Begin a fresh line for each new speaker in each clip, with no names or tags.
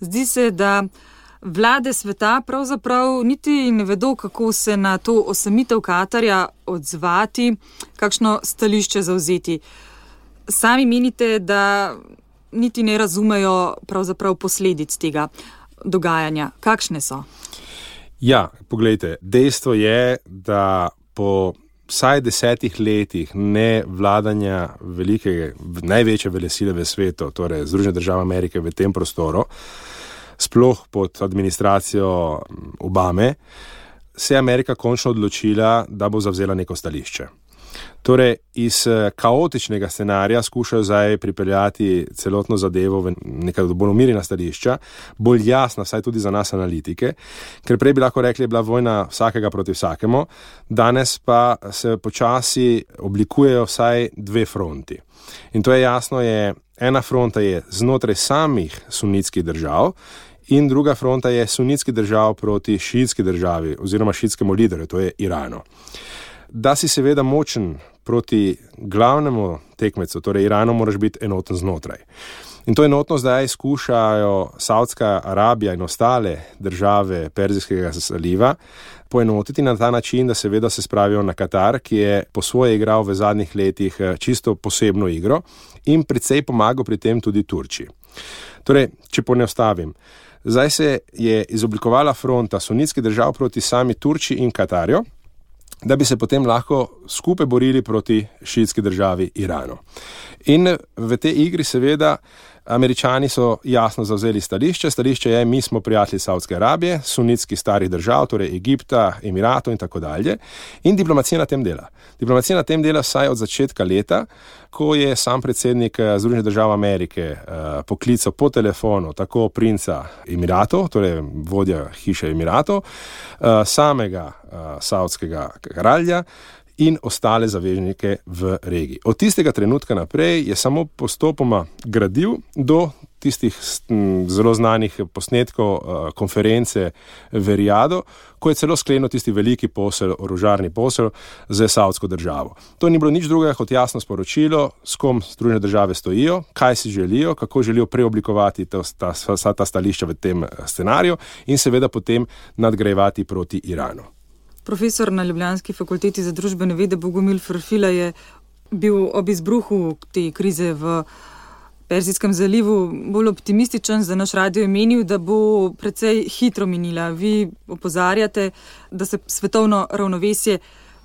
Zdi se, da vlade sveta pravzaprav niti ne vedo, kako se na to osamitev Katarja odzvati, kakšno stališče zavzeti. Sami menite, da niti ne razumejo pravzaprav posledic tega dogajanja. Kakšne so?
Ja, poglejte, dejstvo je, da po vsaj 10 letih ne vladanja največje velesile v svetu, torej Združene države Amerike v tem prostoru, sploh pod administracijo Obame, se je Amerika končno odločila, da bo zavzela neko stališče. Torej, iz kaotičnega scenarija skušajo zdaj pripeljati celotno zadevo v neka bolj umirjena stališča, bolj jasna, vsaj tudi za nas analitike, ker prej bi lahko rekli, je bila vojna vsakega proti vsakemu, danes pa se počasi oblikujejo vsaj 2 fronti. In to je jasno, ena fronta je znotraj samih sunitskih držav in druga fronta je sunitskih držav proti šiitski državi oziroma šiitskemu liderju, to je Iranu. Da si seveda močen proti glavnemu tekmecu, torej Iranu, moraš biti enoten znotraj. In to enotno zdaj skušajo Saudska Arabija in ostale države Perzijskega zaliva poenotiti na ta način, da seveda se spravijo na Katar, ki je po svoje igral v zadnjih letih čisto posebno igro in precej pomagal pri tem tudi Turčiji. Torej, če poenostavim, zdaj se je izoblikovala fronta sunitskih držav proti sami Turčiji in Katarju, da bi se potem lahko skupaj borili proti šiitski državi Iranu. In v tej igri seveda Američani so jasno zavzeli stališče. Stališče je, mi smo prijatelji Saudske Arabije, sunitskih starih držav, torej Egipta, Emiratov in tako dalje. In diplomacija na tem dela. Diplomacija na tem dela vsaj od začetka leta, ko je sam predsednik Združenih držav Amerike poklical po telefonu tako princa Emiratov, torej vodja hiše Emiratov, samega saudskega kralja in ostale zaveznike v regiji. Od tistega trenutka naprej je samo postopoma gradil do tistih zelo znanih posnetkov konference v Rijadu, ko je celo sklenil tisti veliki posel, orožarni posel z Saudsko državo. To ni bilo nič drugega kot jasno sporočilo, s kom Združene države stojijo, kaj si želijo, kako želijo preoblikovati vsa ta stališča v tem scenariju in seveda potem nadgrajevati proti Iranu.
Profesor na Ljubljanski fakulteti za družbene vede Bogomil Ferfila je bil ob izbruhu te krize v Perzijskem zalivu bolj optimističen, za naš radio je menil, da bo precej hitro minila. Vi opozarjate, da se svetovno ravnovesje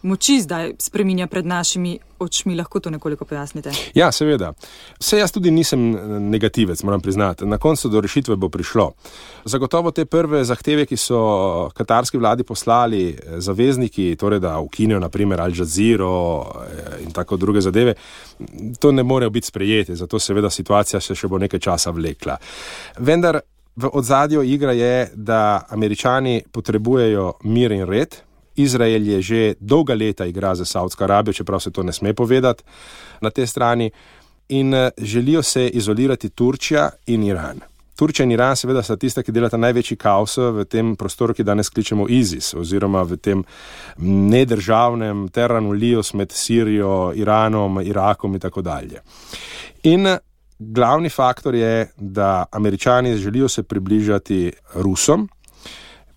moči zdaj spreminja pred našimi očmi. Lahko to nekoliko pojasnite?
Ja, seveda. Vse jaz tudi nisem negativec, moram priznati. Na koncu do rešitve bo prišlo. Zagotovo te prve zahteve, ki so katarski vladi poslali zavezniki, torej da ukinijo naprimer Al Jazeero in tako druge zadeve, to ne morejo biti sprejete, zato seveda situacija se še bo nekaj časa vlekla. Vendar v ozadju igra je, da Američani potrebujejo mir in red. Izrael je že dolga leta igra za Saudsko Arabijo, čeprav se to ne sme povedati na tej strani, in želijo se izolirati Turčija in Iran. Turčija in Iran seveda sta tista, ki delata največji kaos v tem prostoru, ki danes kličemo ISIS, oziroma v tem nedržavnem terranu Lios med Sirijo, Iranom, Irakom in tako dalje. In glavni faktor je, da Američani želijo se približati Rusom,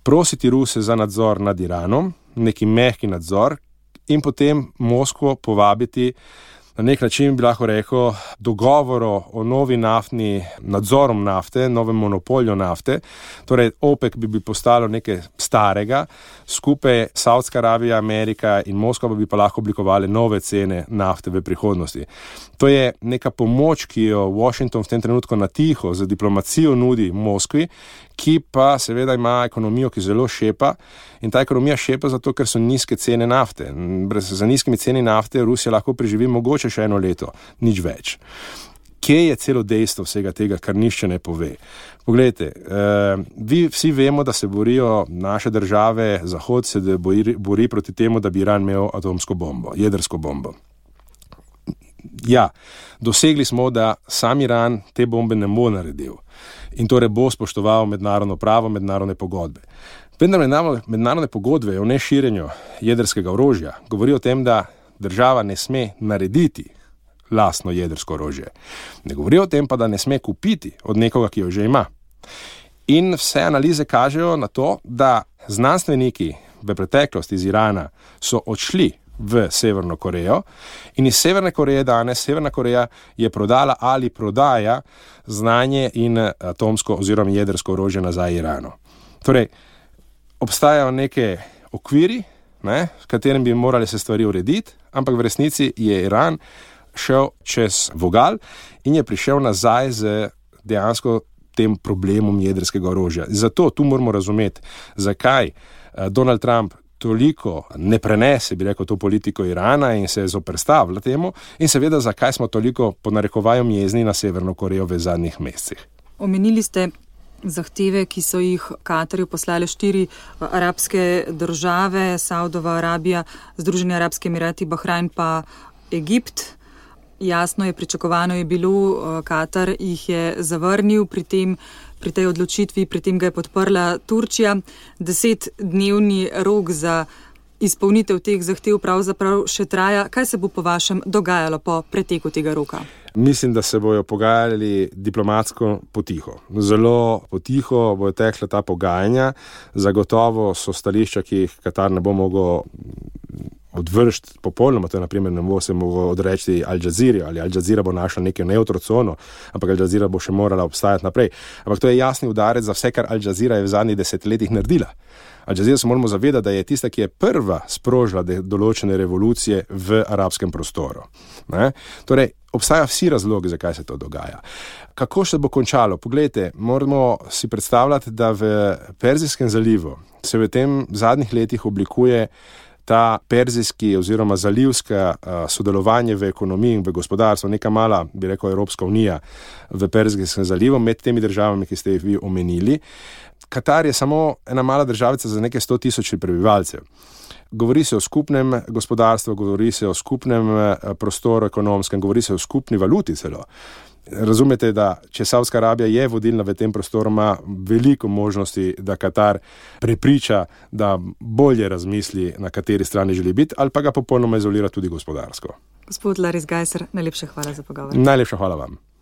prositi Ruse za nadzor nad Iranom, neki mehki nadzor, in potem Moskvo povabiti na nek način, bi lahko rekel, dogovoro o novi naftni nadzorom nafte, novem monopolju nafte, torej OPEC bi postalo nekaj starega, skupaj Saudska Arabija, Amerika in Moskva bi pa lahko oblikovali nove cene nafte v prihodnosti. To je neka pomoč, ki jo Washington v tem trenutku na tiho z diplomacijo nudi Moskvi, ki pa seveda ima ekonomijo, ki zelo šepa, in ta ekonomija šepa zato, ker so nizke cene nafte. Za nizkimi ceni nafte Rusija lahko preživi mogoče še 1 leto, nič več. Kje je celo dejstvo vsega tega, kar nišče ne pove? Poglejte, vi vsi vemo, da se borijo naše države, Zahod se bori proti temu, da bi Iran imel atomsko bombo, jedrsko bombo. Ja, dosegli smo, da sam Iran te bombe ne bo naredil in torej bo spoštoval mednarodno pravo, mednarodne pogodbe. Vendar mednarodne pogodbe o neširjenju jedrskega orožja govori o tem, da država ne sme narediti lastno jedrsko orožje. Ne govori o tem pa, da ne sme kupiti od nekoga, ki jo že ima. In vse analize kažejo na to, da znanstveniki v preteklosti iz Irana so odšli v Severno Korejo in iz Severne Koreje danes Severna Koreja je prodala ali prodaja znanje in atomsko oziroma jedrsko orožje nazaj Iranu. Torej, obstajajo neke okviri, v katerem bi morali se stvari urediti, ampak v resnici je Iran šel čez vogal in je prišel nazaj z dejansko tem problemom jedrskega orožja. Zato tu moramo razumeti, zakaj Donald Trump toliko ne prenese, bi rekel, to politiko Irana in se zoperstavlja temu in seveda, zakaj smo toliko po narekovaju jezni na Severno Korejo v zadnjih mesecih.
Omenili ste zahteve, ki so jih Katarju poslale 4 arabske države, Saudova Arabija, Združeni arabski emirati, Bahrajn pa Egipt. Jasno je, pričakovano je bilo, Katar jih je zavrnil pri tej odločitvi, pri tem ga je podprla Turčija. 10-dnevni rok za izpolnitev teh zahtev pravzaprav še traja. Kaj se bo po vašem dogajalo po preteku tega roka?
Mislim, da se bojo pogajali diplomatsko potiho. Zelo potiho bojo tekla ta pogajanja. Zagotovo so stališča, ki jih Katar ne bo mogel odvršiti popolnoma, to je naprimer ne bo se mogel odreči Al Jazeera ali Al Jazeera bo našla neko neutro cono, ampak Al Jazeera bo še morala obstajati naprej. Ampak to je jasni udarec za vse, kar Al Jazeera je v zadnjih 10 letih naredila. Al Jazeera se moramo zavedati, da je tista, ki je prva sprožila določene revolucije v arabskem prostoru. Torej, obstaja vsi razlogi, zakaj se to dogaja. Kako se bo končalo? Poglejte, moramo si predstavljati, da v Perzijskem zalivu se v tem zadnjih letih oblikuje ta perzijski oziroma zalivska sodelovanje v ekonomiji in v gospodarstvu, neka mala, bi rekel, Evropska unija v Perzijskem zalivu med temi državami, ki ste jih vi omenili. Katar je samo ena mala državica za nekaj 100 tisoč prebivalcev. Govori se o skupnem gospodarstvu, govori se o skupnem prostoru ekonomskem, govori se o skupni valuti celo. Razumete, da če Saudska Arabija je vodilna v tem prostoru, ima veliko možnosti, da Katar prepriča, da bolje razmisli, na kateri strani želi biti, ali pa ga popolnoma izolira tudi gospodarsko.
Gospod Laris Gajser, najlepša hvala za pogovor.
Najlepša hvala vam.